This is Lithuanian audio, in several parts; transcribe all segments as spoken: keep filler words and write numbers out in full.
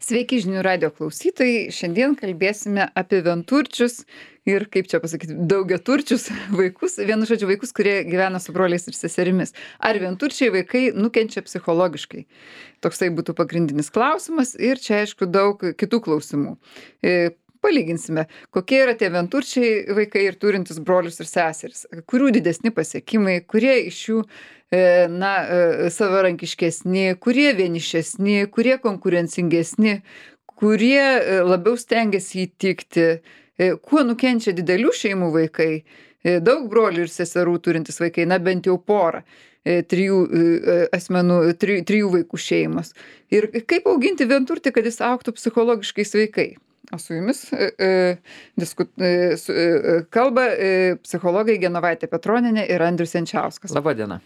Sveiki žinių radio klausytojai. Šiandien kalbėsime apie vienturčius ir, kaip čia pasakyti, daugiaturčius vaikus. Vienu žodžiu, vaikus, kurie gyvena su broliais ir seserimis. Ar vienturčiai vaikai nukenčia psichologiškai? Toksai būtų pagrindinis klausimas ir čia, aišku, daug kitų klausimų. E, Palyginsime, kokie yra tie vienturčiai vaikai ir turintys brolius ir seseris, kurių didesni pasiekimai, kurie iš jų e, na, e, savarankiškesni, kurie vienišesni, kurie konkurencingesni, kurie e, labiau stengiasi įtikti, e, kuo nukenčia didelių šeimų vaikai, e, daug brolių ir seserų turintys vaikai, na bent jau porą. e, Trijų e, asmenų, tri, trijų vaikų šeimos. Ir kaip auginti vienturtį, kad jis augtų psichologiškai sveikai. O su jumis e, e, disku, e, su, e, kalba e, psichologai Genovaitė Petronienė ir Andrius Jančiauskas. Labą dieną.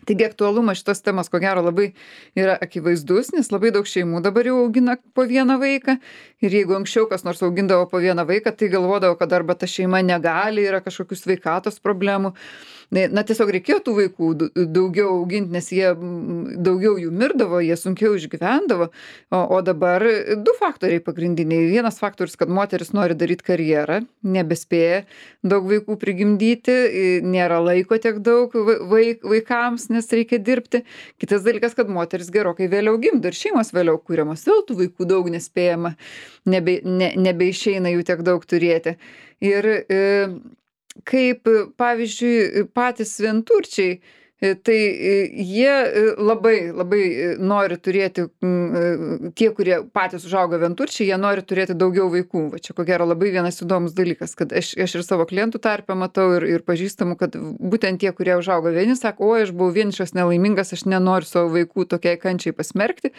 Taigi aktualumas šitos temos, ko gero, labai yra akivaizdus, nes labai daug šeimų dabar jau augina po vieną vaiką. Ir jeigu anksčiau kas nors augindavo po vieną vaiką, tai galvodavo, kad arba ta šeima negali, yra kažkokių sveikatos problemų. Na, tiesiog reikėjo tų vaikų daugiau auginti, nes jie daugiau jų mirdavo, jie sunkiau išgyvendavo. O, o dabar du faktoriai pagrindiniai. Vienas faktorius, kad moteris nori daryti karjerą, nebespėja daug vaikų prigimdyti, nėra laiko tiek daug vaik, vaikams, nes reikia dirbti. Kitas dalykas, kad moteris gerokai vėliau gimdo ir šeimos vėliau kūriamos, vėl tų vaikų daug nespėjama, nebe, ne, nebeišeina jų tiek daug turėti. Ir e, kaip, pavyzdžiui, patys vienturčiai, tai jie labai, labai nori turėti, tie, kurie patys užauga vienturčiai, jie nori turėti daugiau vaikų. Va čia ko gero labai vienas įdomus dalykas, kad aš, aš ir savo klientų tarpe matau ir, ir pažįstamų, kad būtent tie, kurie užauga vieni, sako, o aš buvau vienišas, nelaimingas, aš nenoriu savo vaikų tokiai kančiai pasmerkti.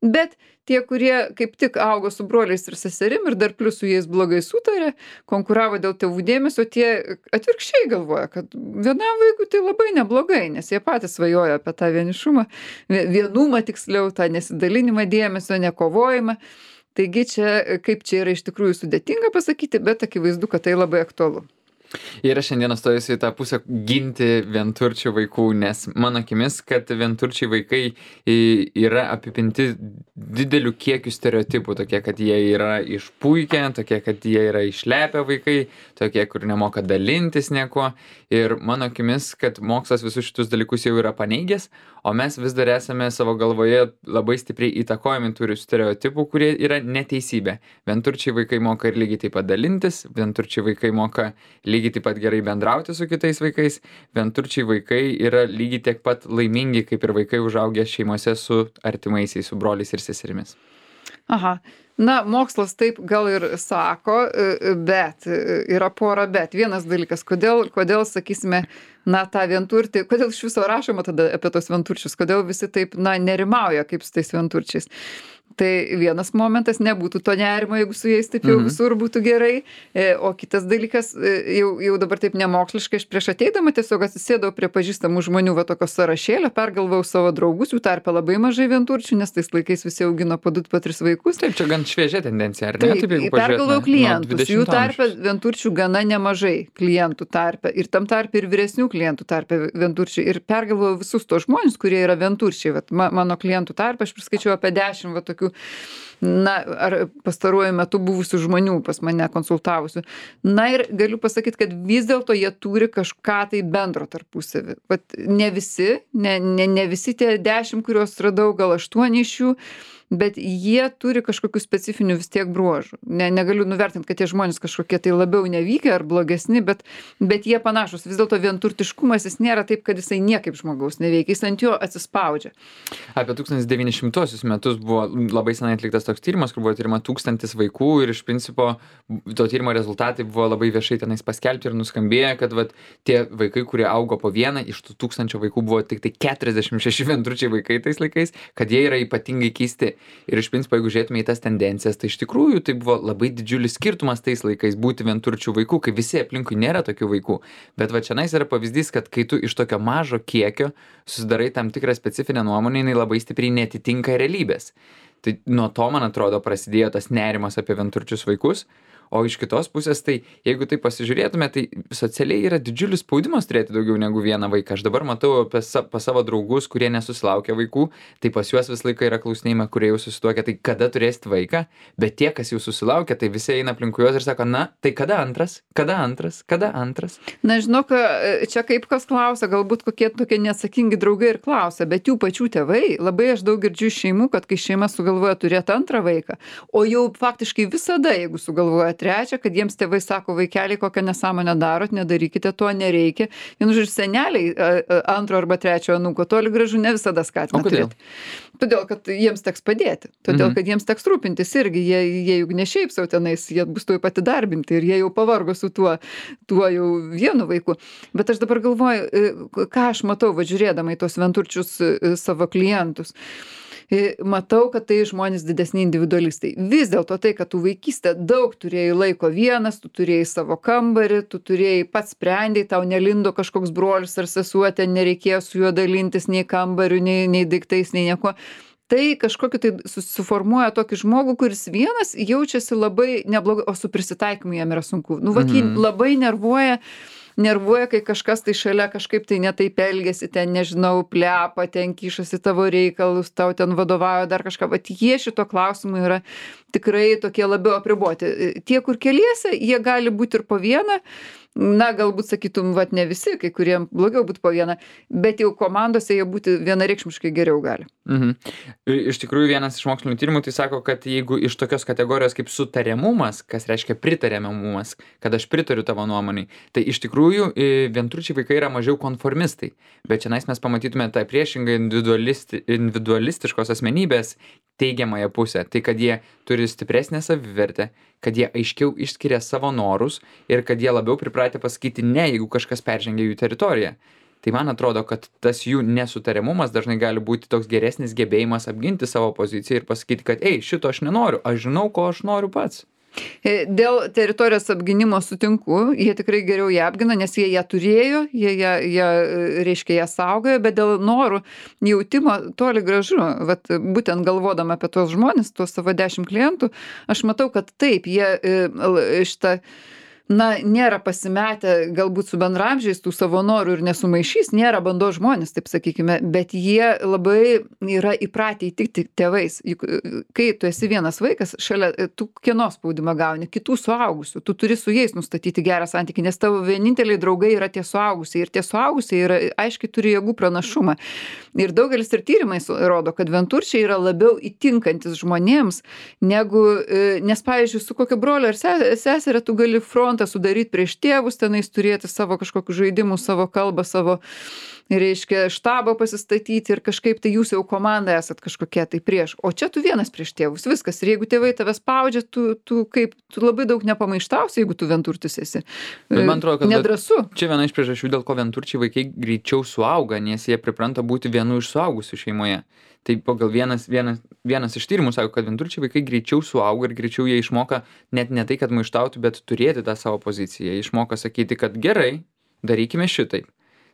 Bet tie, kurie kaip tik augo su broliais ir seserim ir dar plius su jais blogai sutarė, konkuravo dėl tėvų dėmesio, tie atvirkščiai galvoja, kad vienam vaikui tai labai neblogai, nes jie patys svajoja apie tą vienišumą, vienumą tiksliau, tą nesidalinimą dėmesio, nekovojimą. Taigi čia, kaip čia yra iš tikrųjų sudėtinga pasakyti, bet akivaizdu, kad tai labai aktualu. Ir aš šiandieną stojusiu į tą pusę ginti vienturčių vaikų, nes mano akimis, kad vienturčiai vaikai yra apipinti dideliu kiekiu stereotipų, tokie, kad jie yra išpuikę, tokie, kad jie yra išlepę vaikai, tokie, kur nemoka dalintis nieko. Ir mano akimis, kad mokslas visus šitus dalykus jau yra paneigęs, o mes vis dar esame savo galvoje labai stipriai įtakojami tų stereotipų, kurie yra neteisybė. Vienturčiai vaikai moka ir lygiai taip pat dalintis, vienturčiai vaikai moka lygiai taip pat gerai bendrauti su kitais vaikais, vienturčiai vaikai yra lygiai tiek pat laimingi, kaip ir vaikai užaugę šeimose su artimaisiais, su broliais ir seserimis. Aha. Na, mokslas taip gal ir sako, bet yra pora bet. Vienas dalykas, kodėl, kodėl sakysime, na, tą vienturtį, kodėl iš viso rašoma tada apie tos vienturčius, kodėl visi taip, na, nerimauja kaip su tais vienturčiais. Tai vienas momentas, nebūtų to nerimo, jeigu su jais taip jau Mhm. visur būtų gerai. O kitas dalykas, jau, jau dabar taip nemoksliškai, aš prieš ateidama tiesiog atsisėdau prie pažįstamų žmonių, va tokio sąrašėlio, pergalvojau savo draugus, jų tarpe labai mažai vienturčių, nes tais laikais visi augino po du, po tris vaikus. Taip, čia gan šviežia tendencija, ar ne? Taip, Taip, jeigu pergalvojau pažiūrėtume nuo klientus, jų dvidešimto tarpe amžiaus. vienturčių gana nemažai klientų tarpe ir tam tarpe ir vyresnių klientų tarpe vienturčiai. Ir pergalvojau visus tos žmonės, kurie yra vienturčiai. Vat ma, mano klientų tarpe aš priskaičiau apie dešimt va tokių, na, ar pastaruoju metu buvusių žmonių pas mane konsultavusių. Na ir galiu pasakyti, kad vis dėlto jie turi kažką tai bendro tarpusavį. Vat ne visi, ne, ne, ne visi tie dešimt, kuriuos radau, gal aštuoni iš jų, bet jie turi kažkokių specifinių vis tiek bruožų. Ne, negaliu nuvertinti, kad tie žmonės kažkokie tai labiau nevykę ar blogesni, bet, bet jie panašus. Vis dėlto vienturtiškumas jis nėra taip, kad jisai niekaip žmogaus neveikia, jis ant jo atsispaudžia. Apie tūkstantis devyni šimtuosius metus buvo labai senai atliktas toks tyrimas, kur buvo tyrima tūkstantis vaikų ir iš principo to tyrimo rezultatai buvo labai viešai tenais paskelbti ir nuskambėję, kad vat, tie vaikai, kurie augo po vieną, iš tų tūkstančio vaikų buvo tik tai keturiasdešimt šeši vienturčiai vaikai tais laikais, kad jie yra ypatingai keisti. Ir iš principo, jeigu žiūrėtume į tas tendencijas, tai iš tikrųjų tai buvo labai didžiulis skirtumas tais laikais būti vienturčių vaikų, kai visi aplinkui nėra tokių vaikų. Bet va čia nais yra pavyzdys, kad kai tu iš tokio mažo kiekio susidarai tam tikrą specifinę nuomonę, jinai labai stipriai netitinka realybės. Tai nuo to, man atrodo, prasidėjo tas nerimas apie vienturčius vaikus. O iš kitos pusės, tai jeigu tai pasižiūrėtume, tai socialiai yra didžiulis spaudimas turėti daugiau negu vieną vaiką. Aš dabar matau apie sa, pas savo draugus, kurie nesusilaukia vaikų, tai pas juos visą laiką yra klausinėjimai, kurie jau susituokia, tai kada turėsit vaiką, bet tie, kas jau susilaukia, tai visi eina aplinkui juos ir sako, na, tai kada antras, kada antras, kada antras. Na, žinok, čia kaip kas klausia, galbūt kokie tokie neatsakingi draugai ir klausia, bet jų pačių tėvai, labai aš daug girdžiu šeimų, kad kai šeima sugalvoja turėti antrą vaiką, o jau faktiškai visada, jeigu sugalvoja trečią, kad jiems tėvai sako, vaikeliai, kokią nesąmonę darot, nedarykite to, nereikia. Vienu žodžiu, seneliai antro arba trečio anūko toli gražu ne visada skatina turėti. Todėl, kad jiems teks padėti. Todėl, mhm. kad jiems teks rūpintis irgi. Jie, jie juk ne šiaip sau tenais, jie bus tuoj pati darbinti ir jie jau pavargo su tuo, tuo jau vienu vaiku. Bet aš dabar galvoju, ką aš matau, va žiūrėdama į tos vienturčius savo klientus. Matau, kad tai žmonės didesni individualistai. Vis dėlto tai, kad tu vaikystę daug turėjai laiko vienas, tu turėjai savo kambarį, tu turėjai pats sprendėjai, tau nelindo kažkoks brolis ar sesuotė, nereikėjo su juo dalintis nei kambariu, nei, nei daiktais, nei nieko. Tai kažkokį tai suformuoja tokį žmogų, kuris vienas jaučiasi labai neblogai, o su prisitaikymu jam yra sunku. Nu, va, jį labai nervuoja. Nervuoja, kai kažkas tai šalia kažkaip tai netaip elgiasi, ten, nežinau, plepa, ten kišasi tavo reikalus, tau ten vadovauja dar kažką. Bet jie šito klausimu yra tikrai tokie labiau apriboti. Tie, kur keliese, jie gali būti ir po vieną. Na, galbūt sakytum, vat ne visi, kai kuriem blogiau būtų po vieną, bet jau komandose jie būti vienareikšmiškai geriau gali. Mhm. Iš tikrųjų, vienas iš mokslinių tyrimų tai sako, kad jeigu iš tokios kategorijos kaip sutariamumas, kas reiškia pritariamumas, kad aš pritariu tavo nuomonei, tai iš tikrųjų vienturčiai vaikai yra mažiau konformistai. Bet čia mes pamatytume tą priešingą individualisti, individualistiškos asmenybės teigiamąją pusę. Tai, kad jie turi stipresnę savivertę, kad jie aiškiau išskiria savo norus ir kad jie labiau pripratę pasakyti ne, jeigu kažkas peržengia jų teritoriją. Tai man atrodo, kad tas jų nesutariamumas dažnai gali būti toks geresnis gebėjimas apginti savo poziciją ir pasakyti, kad ei, šito aš nenoriu, aš žinau, ko aš noriu pats. Dėl teritorijos apginimo sutinku, jie tikrai geriau ją apgina, nes jie ją turėjo, jie, jie, jie reiškia, ją saugojo, bet dėl norų jautimo toli gražu, vat, būtent galvodama apie tuos žmonės, tuos savo dešimt klientų, aš matau, kad taip, jie šitą na, nėra pasimetę galbūt su bendraamžiais tų savo norų ir nesumaišys, nėra bandos žmonės, taip sakykime, bet jie labai yra įpratę įtikti tėvais. Juk kai tu esi vienas vaikas, šalia tu kieno spaudimą gauni, kitų suaugusių, tu turi su jais nustatyti gerą santykį, nes tavo vieninteliai draugai yra tie suaugusiai ir tie suaugusiai yra, aiškiai turi jėgų pranašumą. Ir daugelis ir tyrimais rodo, kad vienturčiai yra labiau įtinkantis žmonėms, negu, nes, pavyzdžiui, su kokio brolio ar seserė tu gali front sudaryti prieš tėvus, tenais turėti savo kažkokių žaidimų, savo kalbą, savo, reiškia, štabą pasistatyti ir kažkaip tai jūs jau komanda esat kažkokie tai prieš. O čia tu vienas prieš tėvus, viskas. Ir jeigu tėvai tave spaudžia, tu, tu kaip, tu labai daug nepamaištausi, jeigu tu vienturtis esi. Bet man atrodo, kad nedrąsu. Čia viena iš priežasčių, dėl ko vienturčiai vaikai greičiau suauga, nes jie pripranta būti vienu iš suaugusių šeimoje. Tai pagal vienas, vienas, vienas iš tyrimų sako, kad vienturčiai vaikai greičiau suauga ir greičiau jie išmoka net ne tai, kad maištautų, bet turėti tą savo poziciją. Jie išmoka sakyti, kad gerai, darykime šitaip.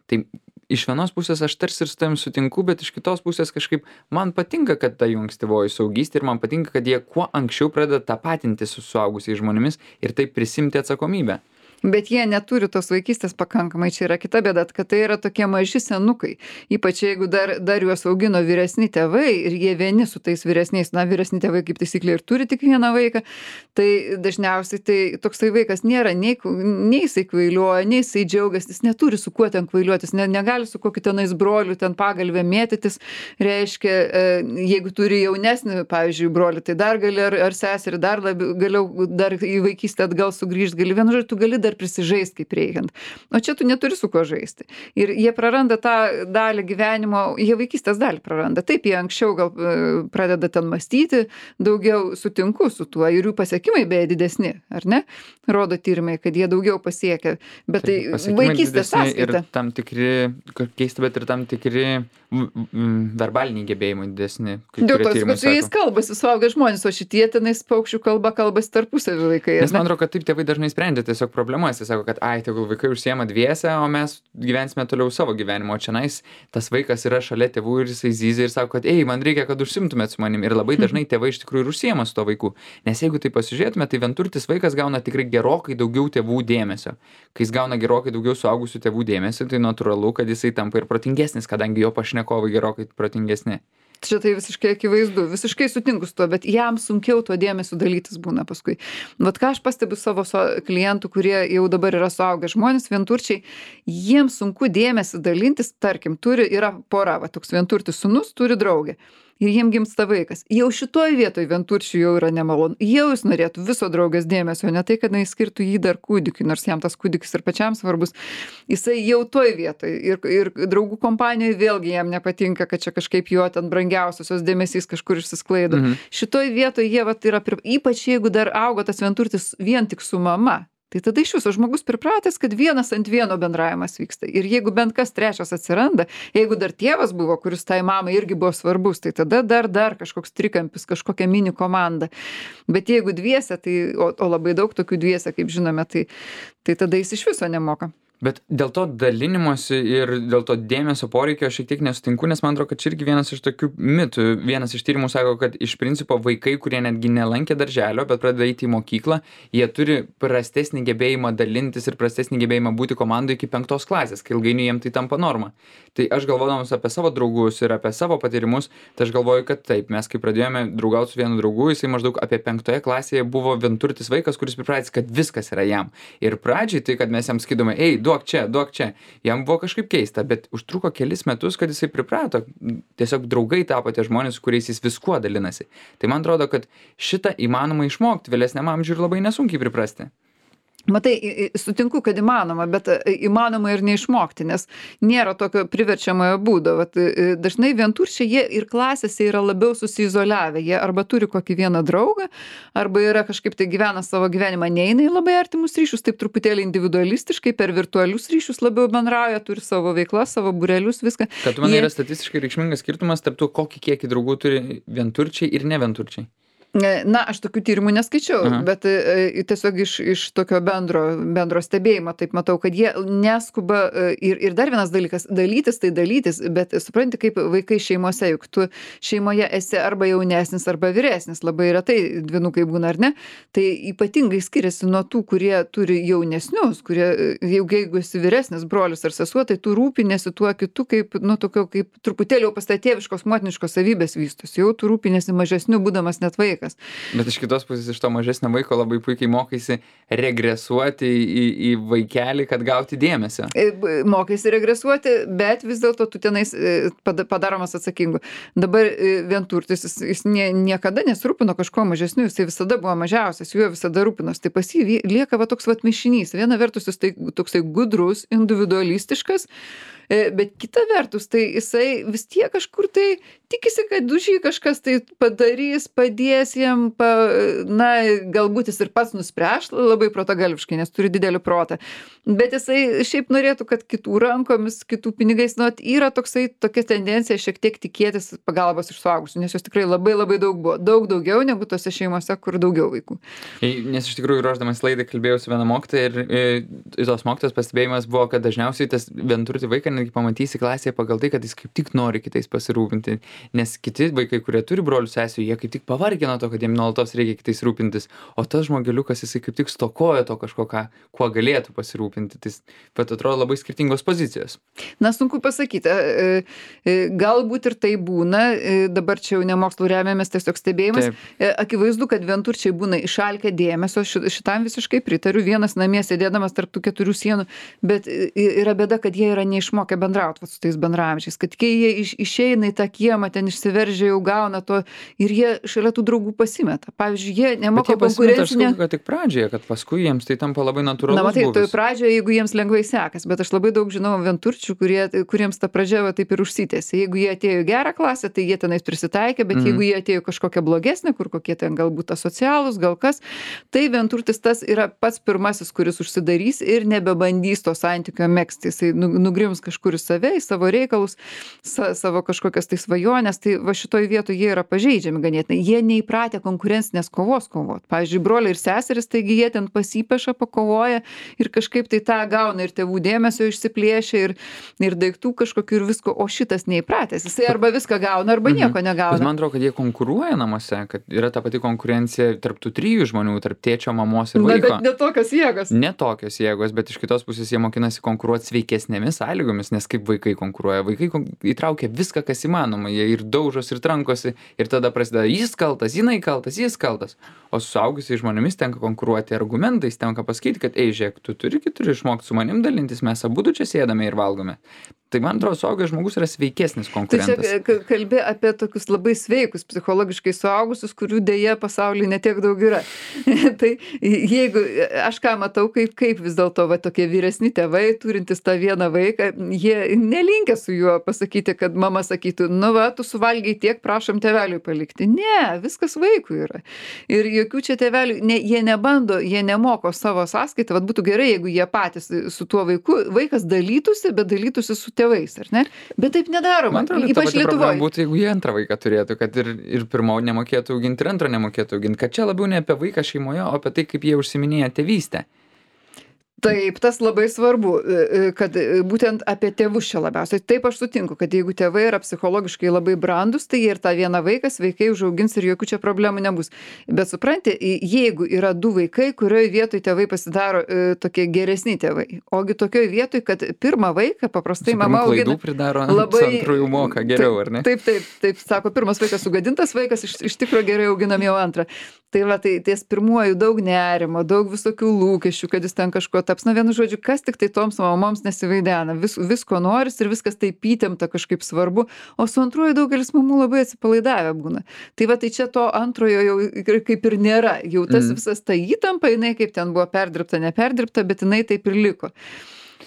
Tai iš vienos pusės aš tarsi ir su tavim sutinku, bet iš kitos pusės kažkaip man patinka, kad ta jų ankstyvoji suaugystė ir man patinka, kad jie kuo anksčiau pradeda tapatinti su suaugusiais žmonėmis ir taip prisimti atsakomybę. Bet jie neturi tos vaikystės pakankamai, čia yra kita bėda, kad tai yra tokie maži senukai. Ypač jeigu dar, dar juos augino vyresni tėvai ir jie vieni su tais vyresniais, na vyresni tėvai kaip taisyklė ir turi tik vieną vaiką, tai dažniausiai tai toksai vaikas nėra, nei, nei jisai kvailiuoja, nei jisai džiaugiasi, jis neturi su kuo ten kvailiuotis, ne, negali su kokiu tenais broliu ten pagalvę mėtytis, reiškia, jeigu turi jaunesnį, pavyzdžiui, brolį, tai dar gali ar, ar seserį, dar labiau, galiau dar į vaikystę atgal sugrįžti, gali vienu žodžiu, tu gali dar prisižaist kaip reikiant. O čia tu neturi su kuo žaisti. Ir jie praranda tą dalį gyvenimo, jie vaikystės dalį praranda. Taip, jie anksčiau gal pradeda ten mąstyti, daugiau sutinku su tuo ir jų pasiekimai beje didesni, ar ne? Rodo tyrimai, kad jie daugiau pasiekia. Bet tai, tai vaikystės sąskaita. Ir tam tikri, keista, bet ir tam tikri verbaliniai gebėjimai didesni. Dėl to, kad su jais kalbasi suaugę žmonės, o šitie tenais paukščių kalba kalbasi tarpusavį vaikai. Nes man atrodo, kad taip tėvai dažnai sprendžia tiesiog problemą problemas. Jis sako, kad ai, tegul vaikai užsiema dviese, o mes gyvensime toliau savo gyvenimo. Čia nais tas vaikas yra šalia tėvų ir jisai zyzia ir sako, kad ei, man reikia, kad užsimtumėt su manim. Ir labai dažnai tėvai iš tikrųjų ir užsiema su to vaiku. Nes jeigu tai pasižiūrėtume, tai vienturtis vaikas gauna tikrai gerokai daugiau tėvų dėmesio. Kai jis gauna gerokai daugiau suaugusių tėvų dėmesio, tai natūralu, kad jisai tampa ir protingesnis, kadangi jo pašnekovai gerokai protingesni. Čia tai visiškai akivaizdu, visiškai sutinku su tuo, bet jam sunkiau tuo dėmesiu dalytis būna paskui. Vat ką aš pastebiu savo so, klientų, kurie jau dabar yra suaugę žmonės, vienturčiai, jiems sunku dėmesį dalintis, tarkim, turi, yra pora, va, toks vienturtis sūnus turi draugę. Ir jiem gimsta vaikas. Jau šitoj vietoj vienturčių jau yra nemalonu. Jau jis norėtų viso draugės dėmesio, ne tai, kad jis skirtų jį dar kūdikiui, nors jam tas kūdikis ir pačiam svarbus. Jisai jau toj vietoj. Ir, ir draugų kompanijoje vėlgi jam nepatinka, kad čia kažkaip jo ten brangiausios dėmesys kažkur išsisklaido. Mhm. Šitoj vietoj jie vat yra, ypač jeigu dar augo tas vienturtis vien tik su mama. Tai tada iš viso žmogus pripratęs, kad vienas ant vieno bendravimas vyksta. Ir jeigu bent kas trečias atsiranda, jeigu dar tėvas buvo, kuris tai mamai irgi buvo svarbus, tai tada dar dar kažkoks trikampis, kažkokia mini komanda. Bet jeigu dviese, tai, o, o labai daug tokių dviese, kaip žinome, tai, tai tada jis iš viso nemoka. Bet dėl to dalinimosi ir dėl to dėmesio poreikio aš šiek tiek nesutinku, nes man atrodo, kad čia irgi vienas iš tokių mitų. Vienas iš tyrimų sako, kad iš principo vaikai, kurie netgi nelankė darželio, bet pradeda eiti į mokyklą, jie turi prastesnį gebėjimą dalintis ir prastesnį gebėjimą būti komandoje iki penktos klasės, kai ilgainiui jiem tai tampa norma. Tai aš galvodamas apie savo draugus ir apie savo patyrimus, tai aš galvoju, kad taip, mes kai pradėjome draugauti su vienu draugu, jisai maždaug apie penktoje klasėje buvo vienturtis vaikas, kuris pripratęs, kad viskas yra jam. Ir pradžiai tai, kad mes jam skydome, ei, duok čia, duok čia. Jam buvo kažkaip keista, bet užtruko kelis metus, kad jisai priprato. Tiesiog draugai tapo tie žmonės, su kuriais jis viskuo dalinasi. Tai man atrodo, kad šitą įmanoma išmokti vėlesniam amžiui ir labai nesunkiai priprasti. Matai, sutinku, kad įmanoma, bet įmanoma ir neišmokti, nes nėra tokio priverčiamojo būdo. Vat, dažnai vienturčiai jie ir klasėse yra labiau susiizoliavę. Jie arba turi kokį vieną draugą, arba yra kažkaip tai gyvena savo gyvenimą, neina į labai artimus ryšius, taip truputėlį individualistiškai, per virtualius ryšius labiau bendrauja, turi savo veiklas, savo būrelius, viską. Kad man jie... yra statistiškai reikšmingas skirtumas tarp to, kokį kiekį draugų turi vienturčiai ir neventurčiai. Na, aš tokių tyrimų neskaičiau, Aha. bet e, tiesiog iš, iš tokio bendro, bendro stebėjimo taip matau, kad jie neskuba e, ir, ir dar vienas dalykas, dalytis tai dalytis, bet supranti, kaip vaikai šeimose, juk tu šeimoje esi arba jaunesnis, arba vyresnis, labai retai dvynukai būna ar ne, tai ypatingai skiriasi nuo tų, kurie turi jaunesnius, kurie jau jeigu esi vyresnis brolis ar sesuo, tai tu rūpinėsi tuo kitu, kaip, nu, tokio, kaip truputėlį jau pastatėviškos motiniškos savybės vystos, jau tu rūpinėsi mažesniu, būdamas net vaikas. Bet iš kitos pusės iš to mažesnio vaiko labai puikiai mokaisi regresuoti į, į vaikelį, kad gauti dėmesio. Mokaisi regresuoti, bet vis dėlto tu tenais padaromas atsakingu. Dabar vienturtis, jis, jis nie, niekada nesirūpino kažko mažesniu, jisai visada buvo mažiausias, juo visada rūpinos. Tai pas jį lieka va toks vat mišinys. Viena vertus jis tai toksai gudrus, individualistiškas, bet kita vertus, tai jisai vis tiek kažkur tai tikisi, kad už jį kažkas tai padarys, padės jam, pa, na, galbūt jis ir pats nuspręs labai protagalviškai, nes turi didelį protą. Bet jisai šiaip norėtų, kad kitų rankomis, kitų pinigais, nu, yra toksai, tokia tendencija šiek tiek tikėtis pagalbos iš suaugusių, nes jos tikrai labai labai daug buvo. Daug daugiau negu tose šeimose, kur daugiau vaikų. Nes iš tikrųjų, ruošdamas laidą, kalbėjau su viena mokytoja ir, ir tos mokytojos pastebėjimas buvo, kad dažniausiai tas vienturtį vaiką netgi pamatysi klasėje pagal tai, kad jis kaip tik nori kitais pasirūpinti. Nes kiti vaikai, kurie turi brolių sesių, jie kaip tik pavargę nuo to, kad jiem nuolatos reikia kitais rūpintis. O tas žmogeliukas, jisai kaip tik stokoja to kažko, ką, kuo galėtų pasirūpinti. Tai pat atrodo labai skirtingos pozicijos. Na, sunku pasakyti. Galbūt ir tai būna, dabar čia jau ne mokslų remiamės, tiesiog stebėjimas. Taip. Akivaizdu, kad vienturčiai būna išalkę dėmesio, šitam visiškai pritariu, vienas namie sėdėdamas tarp tų keturių sienų, bet yra bėda, kad jie yra neišmokę bendrauti su tais bendraamžiais, kad kai jie iš, išeina į tą kiemą, ten išsiveržia, jau gauna to ir jie šalia tų draugų pasimeta. Pavyzdžiui, jie nemoka konkurencinę... Bet tik pradžioje, kad paskui jiems tai tampa labai natūralus. Na, matai, tai pradžioje, jeigu jiems lengvai sekas, bet aš labai daug žinau vienturčių, kurie, kuriems ta pradžia va, taip ir užsitęsė. Jeigu jie atėjo į gerą klasę, tai jie tenais prisitaikė, bet mm. jeigu jie atėjo kažkokią blogesnę, kur kokie ten galbūt asocialūs, gal kas, tai vienturtis tas yra pats pirmasis, kuris užsidarys ir nebebandys to santykio megzti. Jisai nugrims kažkur į save, į savo reikalus, sa, savo kažkokias tai svajonės žmonės, tai va šitoj vietoj jie yra pažeidžiami ganėtinai. Jie neįpratę konkurencinės kovos kovot. Pavyzdžiui, broliai ir seserys, taigi jie ten pasipeša, pakovoja ir kažkaip tai tą gauna ir tėvų dėmesio išsiplėšia ir, ir daiktų kažkokių ir visko, o šitas neįpratęs. Jisai arba viską gauna, arba nieko Bet negauna. man atrodo, kad jie konkuruoja namuose, kad yra ta pati konkurencija tarp tų trijų žmonių, tarp tėčio, mamos ir Na, vaiko. bet ne tokios jėgos. Ne tokios jėgos, bet iš kitos pusės jie mokinasi konkuruoti sveikesnėmis sąlygomis, nes kaip vaikai konkuruoja. Vaikai kon- įtraukia viską, kas įmanoma, jie ir daužos, ir trankosi, ir tada prasideda jis kaltas, jinai kaltas, jis kaltas. O su suaugusiais žmonėmis tenka konkuruoti argumentais, tenka pasakyti, kad ei, žiūrėk, tu turi, turi išmokti su manim dalintis, mes abu čia sėdame ir valgome. Tai man atrodo, suaugęs žmogus yra sveikesnis Tai konkurentas. čia k- kalbi apie tokius labai sveikus psichologiškai suaugusius, kurių dėja pasaulyje netiek daug yra. Tai jeigu aš ką matau, kaip, kaip vis dėlto va, tokie vyresni tėvai, turintys tą vieną vaiką, jie nelinkia su juo pasakyti, kad mama sakytų, nu va, tu suvalgiai tiek, prašom tėveliui palikti. Ne, viskas vaikui yra. Ir jokių čia tėvelių, ne, jie nebando, jie nemoko savo sąskaitą. Vat būtų gerai, jeigu jie patys su tuo vaiku, vaikas dalytųsi, bet dalytųsi su tėvais, ar ne? Bet taip nedaroma, Man atrodo, ta ypač pati problema Lietuvoje. būtų, jeigu jie antrą vaiką turėtų, kad ir, ir pirmo nemokėtų auginti, ir antrą nemokėtų auginti, kad čia labiau ne apie vaiką šeimoje, o apie tai, kaip jie užsiminėja tėvystę. Taip, tas labai svarbu, e, kad e, būtent apie tėvus čia labiausiai. Taip aš sutinku, kad jeigu tėvai yra psichologiškai labai brandus, tai jie ir tą vieną vaiką sveikai užaugins ir jokių čia problemų nebus. Bet supranti, i- jeigu yra du vaikai, kurioje vietoje tėvai pasidaro e, tokie geresni tėvai, ogi tokioje vietoje, kad pirmą vaiką paprastai Su mama pirmu klaidų augina pridaro, labai- su antrųjų moka geriau, ar ne? Taip, taip, taip, sako, pirmas vaikas sugadintas vaikas, iš, iš tikrųjų gerai auginam jau antrą. Tai va, tai ties pirmuoju daug nerimo, daug visokių lūkesčių, kad jis ten kažko taps. Na, vienu žodžiu, kas tik tai toms mamoms nesivaidena. Vis, visko noris ir viskas taip įtempta kažkaip svarbu. O su antruoju daugelis mamų labai atsipalaidavę būna. Tai va, tai čia to antrojo jau ir kaip ir nėra. Jau tas Mm. visas ta įtampa, jinai kaip ten buvo perdirbta, neperdirbta, bet jinai taip ir liko.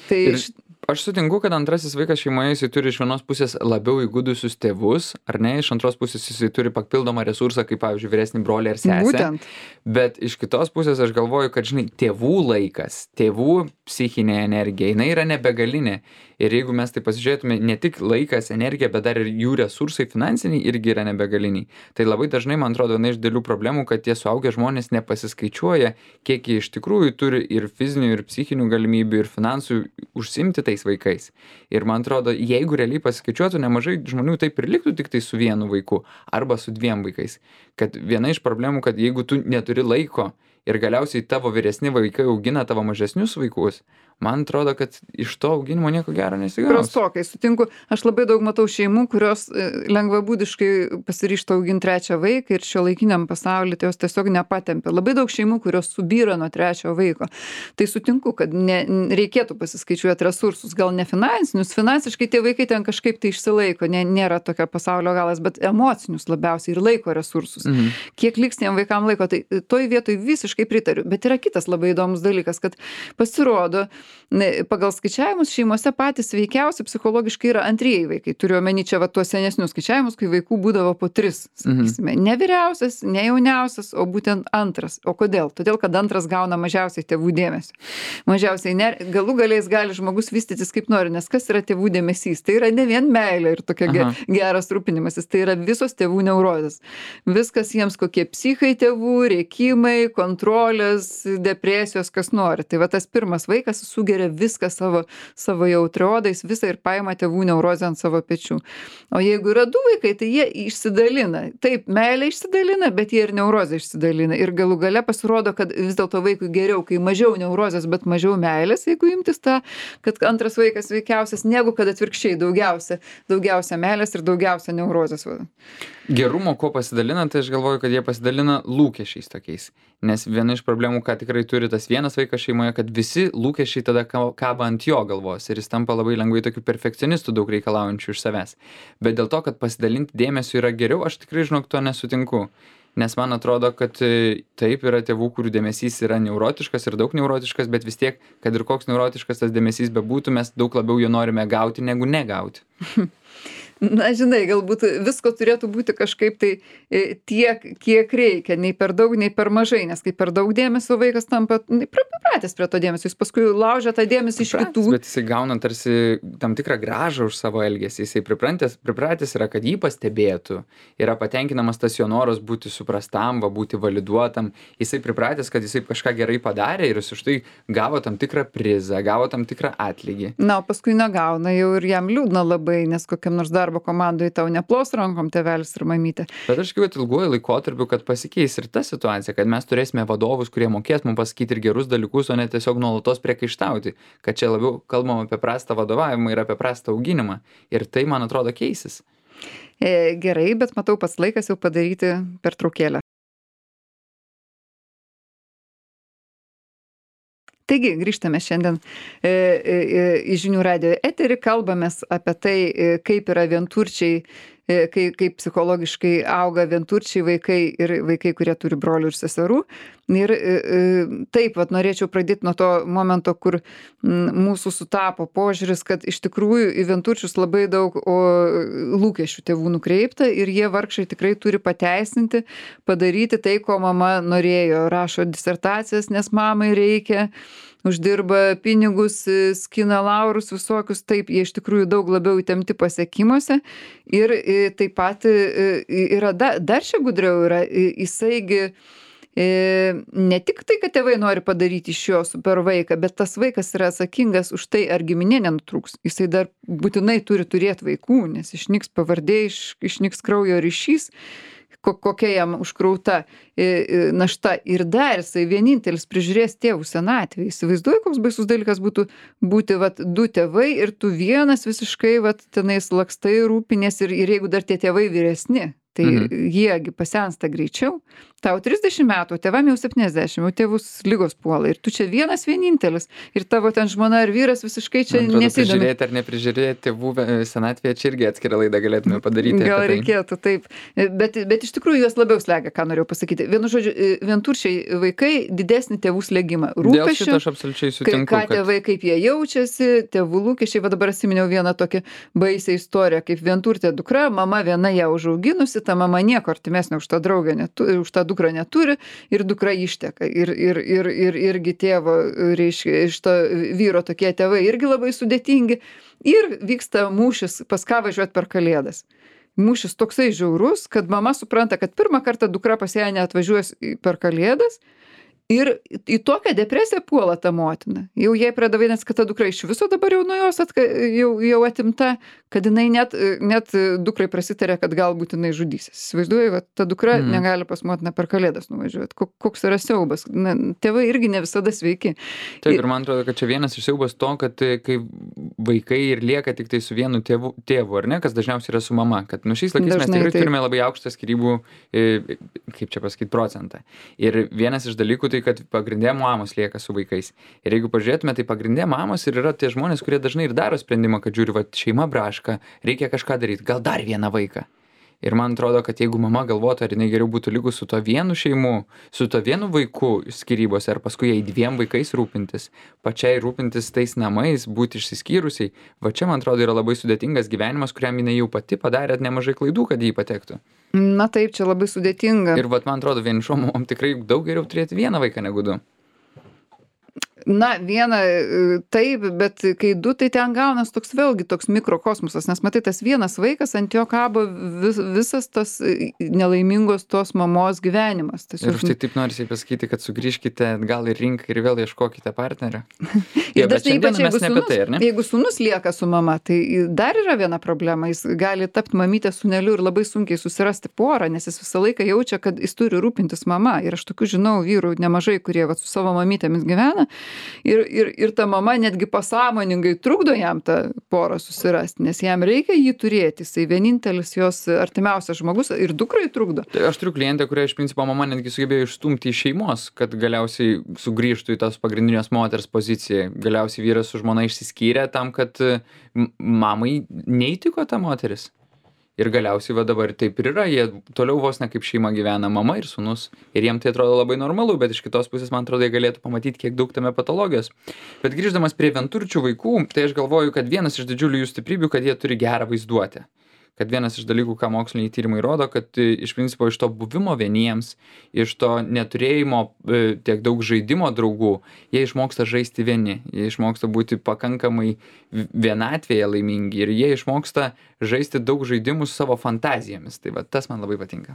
Tai Ir š- aš sutinku, kad antrasis vaikas šeimoje jisai turi iš vienos pusės labiau įgudusius tėvus, ar ne, iš antros pusės jisai turi papildomą resursą, kaip pavyzdžiui, vyresnį brolį ar sesę. būtent. Bet iš kitos pusės aš galvoju, kad, žinai, tėvų laikas, tėvų psichinė energija, jinai yra nebegalinė. Ir jeigu mes tai pasižiūrėtume, ne tik laikas, energija, bet dar ir jų resursai finansiniai irgi yra nebegaliniai. Tai labai dažnai, man atrodo, viena iš dėlių problemų, kad tie suaugę žmonės nepasiskaičiuoja, kiek jie iš tikrųjų turi ir fizinių, ir psichinių galimybių, ir finansų užsimti tais vaikais. Ir man atrodo, jeigu realiai pasiskaičiuotų, nemažai žmonių taip ir liktų tik tai su vienu vaiku arba su dviem vaikais. Kad viena iš problemų, kad jeigu tu neturi laiko ir galiausiai tavo vyresni vaikai augina tavo mažesnius vaikus, man atrodo, kad iš to auginimo nieko gero nesigaus. Prastokai, sutinku. Aš labai daug matau šeimų, kurios e, lengvabūdiškai pasiryžta auginti trečią vaiką ir šiuolaikiniam pasaulyje tai jos tiesiog nepatempia. Labai daug šeimų, kurios subyra nuo trečiojo vaiko. Tai sutinku, kad ne, n- reikėtų pasiskaičiuoti resursus, gal ne finansinius. Finansiškai tie vaikai ten kažkaip tai išsilaiko, ne, nėra tokio pasaulio galas, bet emocinius labiausiai ir laiko resursus. Mhm. Kiek liks tiem vaikam laiko, tai toj vietoj visiškai pritariu. Bet yra kitas labai įdomus dalykas, kad pasirodo, ne, pagal skaičiavimus šeimose patys sveikiausi psichologiškai yra antrieji vaikai. Turiu omeny čia va tuos senesnius skaičiavimus, kai vaikų būdavo po tris, sakysime. Ne vyriausias, ne jauniausias, o būtent antras. O kodėl? Todėl, kad antras gauna mažiausiai tėvų dėmesio. Mažiausiai ner... galų galiais gali žmogus vystytis kaip nori, nes kas yra tėvų dėmesys? Tai yra ne vien meilė ir tokia ge Aha. geras rūpinimasis, tai yra visos tėvų neurozės. Viskas jiems kokie psichai tėvų, rėkimai, kontrolės, depresijos, kas nori. Tai va tas pirmas vaikas sugeria viską savo, savo jautriodais, visą ir paima tėvų neurozę ant savo pečių. O jeigu yra du vaikai, tai jie išsidalina. Taip, meilė išsidalina, bet jie ir neurozę išsidalina. Ir galų gale pasirodo, kad vis dėlto vaikui geriau, kai mažiau neurozės, bet mažiau meilės, jeigu imtis tą, kad antras vaikas sveikiausias, negu kad atvirkščiai daugiausia, daugiausia meilės ir daugiausia neurozės. Va. Gerumo, ko pasidalina, tai aš galvoju, kad jie pasidalina lūkesčiais tokiais. Nes viena iš problemų, ką tikrai turi tas vienas vaikas šeimoje, kad visi lūkesčiai tada ka- kaba ant jo galvos ir jis tampa labai lengvai tokiu perfekcionistu, daug reikalaujančiu iš savęs. Bet dėl to, kad pasidalinti dėmesiu yra geriau, aš tikrai, žinok, to nesutinku. Nes man atrodo, kad e, taip yra tėvų, kurių dėmesys yra neurotiškas ir daug neurotiškas, bet vis tiek, kad ir koks neurotiškas tas dėmesys bebūtų, mes daug labiau jo norime gauti negu negauti. Na, žinai, galbūt visko turėtų būti kažkaip tai e, tiek, kiek reikia, nei per daug, nei per mažai, nes kai per daug dėmesio vaikas tampa nei pripratęs prie to dėmesio, jis paskui laužia tą dėmesį iš kitų. Bet jisai gauna tarsi tam tikrą grąžą už savo elgesį, jisai pripratęs, pripratęs yra, kad jį pastebėtų, yra patenkinamas tas jo noras būti suprastam, va, būti validuotam, jisai pripratęs, kad jisai kažką gerai padarė ir jis už tai gavo tam tikrą prizą, gavo tam tikrą atlygį. Na, o paskui negauna jau ir jam liūdna labai, nes kokiam nors darbo komandoje tau neplos rankom tėvelis ir mamytė. Bet aš tikiu, kad ilguoju laikotarpiu, kad pasikeis ir ta situacija, kad mes turėsime vadovus, kurie mokės mums pasakyti ir gerus dalykus, o ne tiesiog nuolatos priekaištauti, kad čia labiau kalbam apie prastą vadovavimą ir apie prastą auginimą. Ir tai, man atrodo, keisis. E, gerai, bet matau, pats laikas jau padaryti pertraukėlę. Taigi, grįžtame šiandien e, e, į Žinių radijo eterį, kalbamės apie tai, e, kaip yra vienturčiai, e, kaip, kaip psichologiškai auga vienturčiai vaikai ir vaikai, kurie turi brolių ir seserų. Ir e, e, taip, vat, norėčiau pradėti nuo to momento, kur m, mūsų sutapo požiūris, kad iš tikrųjų į vienturčius labai daug o, lūkesčių tėvų nukreipta ir jie vargšai tikrai turi pateisinti, padaryti tai, ko mama norėjo. Rašo disertacijas, nes mamai reikia, uždirba pinigus, skina laurus visokius, taip, jie iš tikrųjų daug labiau įtempti pasiekimuose. Ir e, taip pat e, yra, da, dar čia gudriau yra, e, jisaigi e, ne tik tai, kad tėvai nori padaryti iš jo super vaiką, bet tas vaikas yra atsakingas už tai, ar giminė nenutrūks. Jisai dar būtinai turi turėti vaikų, nes išnyks pavardė, iš, išnyks kraujo ryšys, kokia jam užkrauta našta ir dar jisai vienintelis prižiūrės tėvų senatvėj. Įsivaizduoju, koks baisus dalykas būtų būti vat, du tėvai ir tu vienas visiškai vat, tenais lakstai rūpinės ir, ir jeigu dar tie tėvai vyresni, tai mhm. jiegi pasensta greičiau. Tau trisdešimt metų, tėvam jau septyniasdešimt, jau tėvus lygos puola ir tu čia vienas vienintelis ir tavo ten žmona ar vyras visiškai čia nesidomi. Prižiūrėti ar neprižiūrėti tėvų senatvėje, čia irgi atskirą laidą galėtume padaryti. Gal reikėtų, taip. Bet, bet iš tikrųjų juos labiau slegia, ką norėjau pasakyti. Vienu žodžiu, vienturčiai vaikai didesnį tėvų slėgimą. Dėl šito aš absoliučiai sutinku. Ką kad... tėvai, kaip jie jaučiasi, tėvų lūkesčiai. Va dabar atsiminiau vieną tokią baisią istoriją, kaip vienturtė dukra, mama viena ją užauginusi, ta mama nieko artimesnio už tą draugę, neturi, už tą dukrą neturi ir dukra išteka. Ir, ir, ir, ir irgi tėvo, reiškia, iš to vyro tokie tėvai irgi labai sudėtingi. Ir vyksta mūšis, pas ką važiuoti per Kalėdas. Mūšis toksai žiaurus, kad mama supranta, kad pirmą kartą dukra pas ją neatvažiuos per Kalėdas. Ir į tokią depresiją puola ta motina. Jau jai pradeda vaidinti, kad ta dukra iš viso dabar jau nuo jos atka, jau, jau atimta, kad jinai net, net dukrai prasitarė, kad galbūt jinai žudysis. Įsivaizduoju, kad ta dukra mm. negali pas motiną per Kalėdas nuvažiuoti. Koks yra siaubas. Na, tėvai irgi ne visada sveiki. Taip, ir man atrodo, kad čia vienas iš siaubas to, kad kai vaikai ir lieka tik tai su vienu tėvu, tėvu ar ne, kas dažniausiai yra su mama. Kad nu šiais laikais Dažnai mes tikrai taip. turime labai aukštą skyrybų, kaip čia pasakyti, procentą. Ir vienas iš dalykų tai, kad pagrindė mamos lieka su vaikais. Ir jeigu pažiūrėtume, tai pagrindė mamos ir yra tie žmonės, kurie dažnai ir daro sprendimą, kad žiūri, va, šeima braška, reikia kažką daryti, gal dar vieną vaiką. Ir man atrodo, kad jeigu mama galvotų, ar jinai geriau būtų lygus su to vienu šeimu, su to vienu vaiku skyrybose, ar paskui jai dviem vaikais rūpintis, pačiai rūpintis tais namais, būti išsiskyrusiai, va čia, man atrodo, yra labai sudėtingas gyvenimas, kuriam jinai jau pati padarė nemažai klaidų, kad jį patektų. Na taip, čia labai sudėtinga. Ir vat, man atrodo, vienišom mamom tikrai daug geriau turėti vieną vaiką negu du. Na, viena taip, bet kai du, tai ten gaunas toks vėlgi toks mikrokosmosas, nes matai, tas vienas vaikas ant jo kabo vis, visas tas nelaimingos tos mamos gyvenimas. Tiesiog... Ir už tai taip norisi pasakyti, kad sugrįžkite gal į rinką ir vėl ieškokite partnerio. Ir dažnai ypač jeigu sūnus, tai, jeigu sūnus lieka su mama, tai dar yra viena problema, jis gali tapti mamytė sūneliu ir labai sunkiai susirasti porą, nes jis visą laiką jaučia, kad jis turi rūpintis mama. Ir aš tokių žinau vyrų nemažai, kurie va, su savo mamytėmis gyvena. Ir, ir, ir ta mama netgi pasąmoningai trukdo jam tą porą susirasti, nes jam reikia jį turėti, jisai vienintelis jos artimiausias žmogus ir dukrai trukdo. Tai aš turiu klientę, kurią iš principo mama netgi sugebėjo išstumti iš šeimos, kad galiausiai sugrįžtų į tos pagrindinės moters poziciją. Galiausiai vyras su žmona išsiskyrė tam, kad mamai neįtiko ta moteris. Ir galiausiai va dabar taip ir yra, jie toliau vos ne kaip šeima gyvena, mama ir sūnus. Ir jiem tai atrodo labai normalu, bet iš kitos pusės, man atrodo, jie galėtų pamatyti, kiek daug tame patologijos. Bet grįždamas prie vienturčių vaikų, tai aš galvoju, kad vienas iš didžiulių jų stiprybių, kad jie turi gerą vaizduotę. kad vienas iš dalykų, ką moksliniai tyrimai rodo, kad iš principo iš to buvimo vieniems, iš to neturėjimo tiek daug žaidimo draugų, jie išmoksta žaisti vieni, jie išmoksta būti pakankamai vienatvėje laimingi ir jie išmoksta žaisti daug žaidimų su savo fantazijomis. Tai va, tas man labai patinka.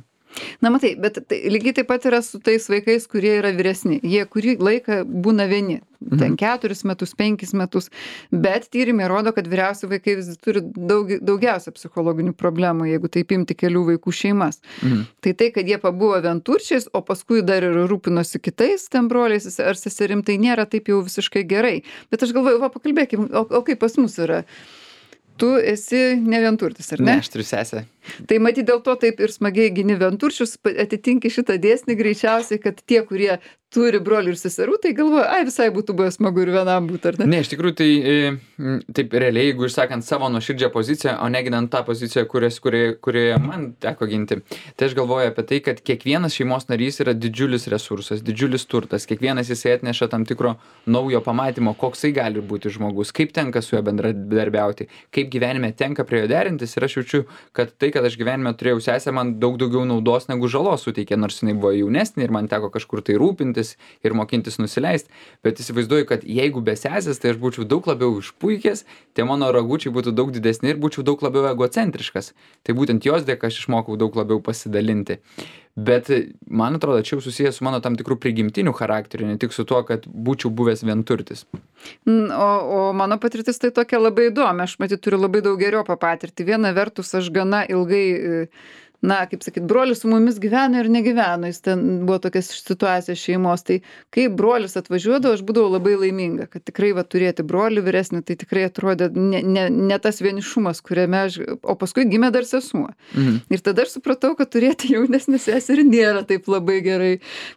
Na matai, bet tai, lygiai taip pat yra su tais vaikais, kurie yra vyresni. Jie kurį laiką būna vieni. Mhm. Ten keturis metus, penkis metus. Bet tyrimai rodo, kad vyriausi vaikai vis turi daug, daugiausia psichologinių problemų, jeigu taip imti kelių vaikų šeimas. Mhm. Tai tai, kad jie pabuvo vienturčiais, o paskui dar ir rūpinosi kitais ten broliais ar seserim, tai nėra taip jau visiškai gerai. Bet aš galvoju, va, pakalbėkim, o, o kaip pas mus yra? Tu esi ne vienturtis, ar ne? Ne, aš turiu sesę. Tai matyt, dėl to taip ir smagiai gini vienturčius, atitinki šitą dėsnį greičiausiai, kad tie, kurie turi brolių ir seserų, tai galvoja, ai visai būtų buvę smagu ir vienam būtų, ar ne? Ne, iš tikrųjų, tai taip realiai, jeigu išsakant savo nuoširdžią poziciją, o neginant tą poziciją, kurios, kurioje, kurioje man teko ginti, tai aš galvoju apie tai, kad kiekvienas šeimos narys yra didžiulis resursas, didžiulis turtas, kiekvienas jisai atneša tam tikro naujo pamatymo, koksai gali būti žmogus, kaip tenka su juo bendradarbiauti, kaip gyvenime tenka prie jo derintis ir aš jaučiu, kad tai, kad aš gyvenime turėjau sesę, man daug daugiau naudos negu žalos suteikė, nors jinai buvo jaunesnė ir man teko kažkur tai rūpintis ir mokintis nusileist, bet įsivaizduoju, kad jeigu be sesės, tai aš būčiau daug labiau išpuikęs, tie mano ragučiai būtų daug didesni ir būčiau daug labiau egocentriškas. Tai būtent jos dėka aš išmokau daug labiau pasidalinti. Bet man atrodo, čia jau susijęs su mano tam tikrų prigimtinių charakterių, ne tik su tuo, kad būčiau buvęs vienturtis. O, o mano patirtis tai tokia labai įdomi, aš matyt turiu labai daug geriopą patirtį. Viena vertus aš gana ilgai, na, kaip sakyt, brolis su mumis gyveno ir negyveno, jis ten buvo tokia situacija šeimos, tai kai brolis atvažiuodavo, aš būdavau labai laiminga, kad tikrai va turėti brolį vyresnį, tai tikrai atrodė ne, ne, ne tas vienišumas, kuriame aš, o paskui gimė dar sesuo. Mhm. Ir tada aš supratau, kad turėti jaunesnį seserį nėra taip labai gerai,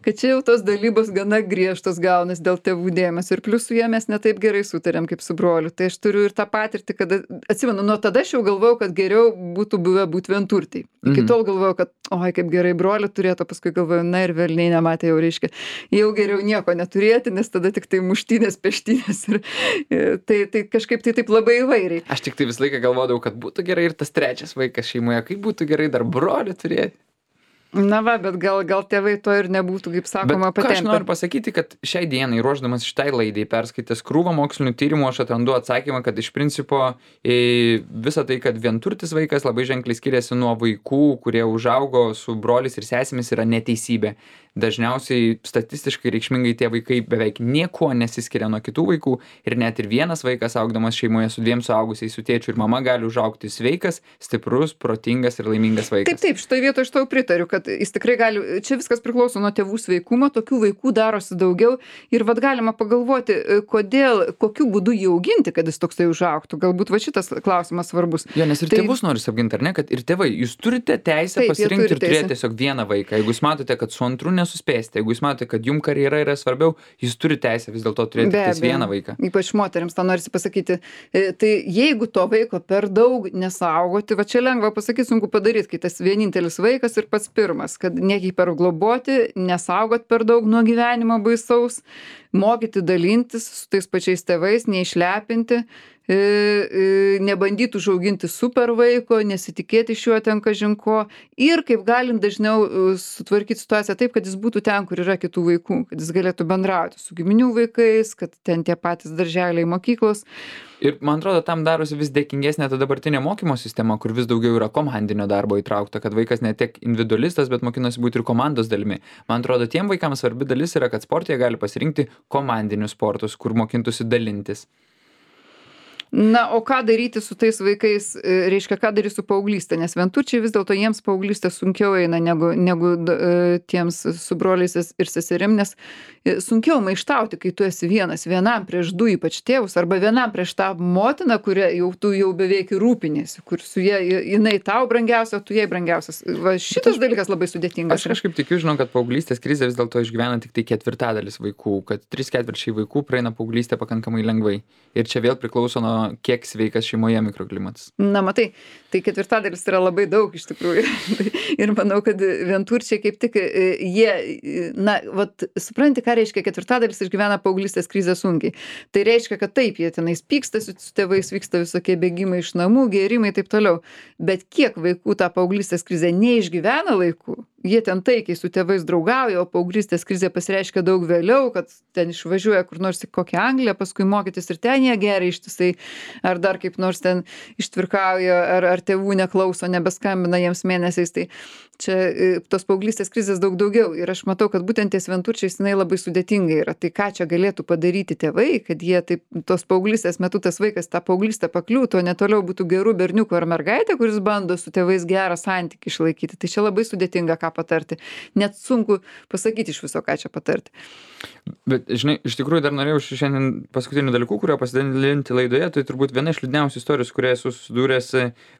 kad čia jau tos dalybos gana griežtos gaunas dėl tėvų dėmesio ir plius su jie mes ne taip gerai sutarėm kaip su broliu. Tai aš turiu ir tą patirtį, kad atsimenu, nuo tada aš jau galvojau, kad geriau būtų buvę būti vienturtiai. Iki tol galvojau, kad oi, kaip gerai brolį turėtų, paskui galvojau, na ir velniai nematė, jau reiškia, jau geriau nieko neturėti, nes tada tik tai muštynės, peštynės ir tai, tai kažkaip tai taip labai įvairiai. Aš tik tai visą laiką galvodavau, kad būtų gerai ir tas trečias vaikas šeimoje, kaip būtų gerai dar brolį turėti. Na va, bet gal, gal tėvai to ir nebūtų, kaip sakoma, patempę. Aš noriu pasakyti, kad šiai dienai, ruošdamas šitai laidai, perskaitęs krūvą mokslinių tyrimų, aš atrandu atsakymą, kad iš principo visa tai, kad vienturtis vaikas labai ženkliai skiriasi nuo vaikų, kurie užaugo su broliais ir sesėmis, yra neteisybė. Dažniausiai statistiškai reikšmingai tie vaikai beveik niekuo nesiskiria nuo kitų vaikų ir net ir vienas vaikas augdamas šeimoje su dviem suaugusiais, su tėčiu ir mama gali užaugti sveikas, stiprus, protingas ir laimingas vaikas. Taip, taip, šitoje vietoje aš tau pritariu, kad jis tikrai gali, čia viskas priklauso nuo tėvų sveikumo, tokių vaikų darosi daugiau ir vad galima pagalvoti, kodėl, kokiu būdu jį auginti, kad jis toksai užaugtų. Galbūt va šitas klausimas svarbus. Jo, nes ir tai... tėvus nori apginti, ar ne, kad ir tėvai, jūs turite teisę taip, pasirinkti ir turėti tiesiog vieną vaiką. Jeigu jūs matote, kad su antru nesuspėsite, jeigu jūs matote, kad jums karjera yra svarbiau, jūs turite teisę vis dėlto turėti tik vieną vaiką. Ypač moterims tą norisi pasakyti. Tai jeigu to vaiko per daug nesaugoti, va čia lengva pasakyti, sunku padaryti, kai tas vienintelis vaikas ir pats pirmas, kad nehipergloboti, nesaugot per daug nuo gyvenimo baisaus, mokyti dalintis su tais pačiais tėvais, neišlepinti, nebandyti užauginti super vaiko, nesitikėti iš jo ten kažin ko ir kaip galint dažniau sutvarkyti situaciją taip, kad jis būtų ten, kur yra kitų vaikų, kad jis galėtų bendrauti su giminių vaikais, kad ten tie patys darželiai, mokyklos. Ir man atrodo, tam darosi vis dėkingesnė ta dabartinė mokymo sistema, kur vis daugiau yra komandinio darbo įtraukta, kad vaikas ne tiek individualistas, bet mokinasi būti ir komandos dalimi. Man atrodo, tiem vaikams svarbi dalis yra, kad sporte gali pasirinkti komandinius sportus, kur mokintųsi dalintis. Na, o ką daryti su tais vaikais, reiškia, ką daryti su paauglystė, nes vienturčiai vis dėlto jiems paauglystė sunkiau eina negu, negu tiems su broliais ir seserim, nes sunkiau maištauti, kai tu esi vienas, vienam prieš du ypač tėvus, arba vienam prieš tą motiną, kurią jau tu jau beveik rūpinėsi, kur su jie, jinai tau brangiausia, tu jai brangiausias. Va, šitas dalykas labai sudėtingas. Aš kažkaip tikiu, žinau, kad paauglystės krizė vis dėlto išgyvena tik tai ketvirtadalis vaikų, kad trys ketvirčiai vaikų praeina paauglystę pakankamai lengvai. Ir čia vėl priklauso nuo kiek sveikas šeimoje mikroklimatas. Na, matai, tai ketvirtadalis yra labai daug iš tikrųjų. Ir manau, kad vienturčiai kaip tik jie, na, vat, supranti, ką reiškia ketvirtadalis išgyvena paauglystės krizę sunkiai. Tai reiškia, kad taip, jie tenais pykstasi su tėvais, vyksta visokie bėgimai iš namų, gėrimai ir taip toliau. Bet kiek vaikų tą paauglystės krizę neišgyvena laiku, jie ten taikiai su tėvais draugauja, o paauglystės krizė pasireiškia daug vėliau, kad ten išvažiuoja kur nors į kokią Angliją, paskui mokytis ir ten jie geria ištisai, ar dar kaip nors ten ištvirkauja, ar, ar tėvų neklauso, nebeskambina jiems mėnesiais. Tai čia tos paauglystės krizės daug daugiau. Ir aš matau, kad būtent ties vienturčiais jinai labai sudėtinga yra. Tai ką čia galėtų padaryti tėvai, kad jie taip, tos paauglystės metu tas vaikas tą paauglystę pakliūtų, o ne toliau būtų gerų berniukų ar mergaitė, kuris bando su tėvais gerą santykį išlaikyti. Tai čia labai sudėtinga, ką patarti. Net sunku pasakyti iš viso, ką čia patarti. Bet, žinai, iš tikrųjų dar norėjau šiandien paskutinių dalykų, kurio pasidalinti laidoje, tai turbūt viena iš liūdniausių istorijų, su kuria esu susidūręs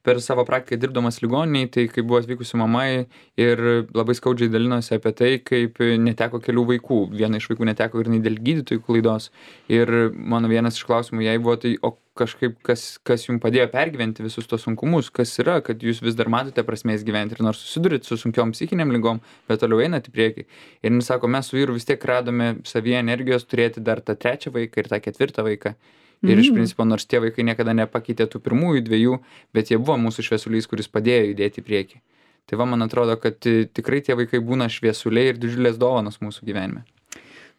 per savo praktiką dirbdamas ligoniniai, tai kai buvo atvykusi mama ir labai skaudžiai dalinosi apie tai, kaip neteko kelių vaikų. Viena iš vaikų neteko ir dėl gydytojų klaidos. Ir mano vienas iš klausimų jai buvo, tai o kažkaip, kas, kas jums padėjo pergyventi visus tos sunkumus, kas yra, kad jūs vis dar matote prasmės gyventi ir nors susidurit su sunkiom psichiniam lygom, bet toliau einat į priekį. Ir jis sako, mes su vyru vis tiek radome savyje energijos turėti dar tą trečią vaiką ir tą ketvirtą vaiką. Ir iš principo, nors tie vaikai niekada nepakeitė tų pirmųjų dviejų, bet jie buvo mūsų šviesulys, kuris padėjo judėti į priekį. Tai va, man atrodo, kad tikrai tie vaikai būna šviesuliai ir didžiulės dovanos mūsų gyvenime.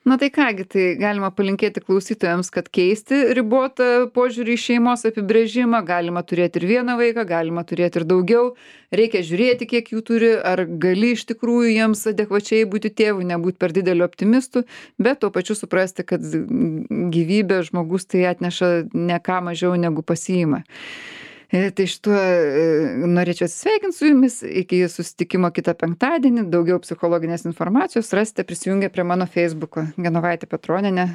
Na tai kągi, tai galima palinkėti klausytojams, kad keisti ribotą požiūrį į šeimos apibrėžimą, galima turėti ir vieną vaiką, galima turėti ir daugiau, reikia žiūrėti, kiek jų turi, ar gali iš tikrųjų jiems adekvačiai būti tėvu, nebūti per dideliu optimistu, bet tuo pačiu suprasti, kad gyvybė žmogus tai atneša ne ką mažiau negu pasiima. Tai šituo norėčiau atsisveikinti su jumis, iki susitikimo kitą penktadienį, daugiau psichologinės informacijos rasite prisijungę prie mano Facebooko, Genovaitė Petronienė,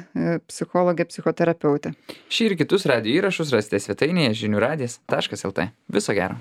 psichologė, psichoterapeutė. Šį ir kitus radijo įrašus rasite svetainėje žinių radijas taškas lt. Viso gero.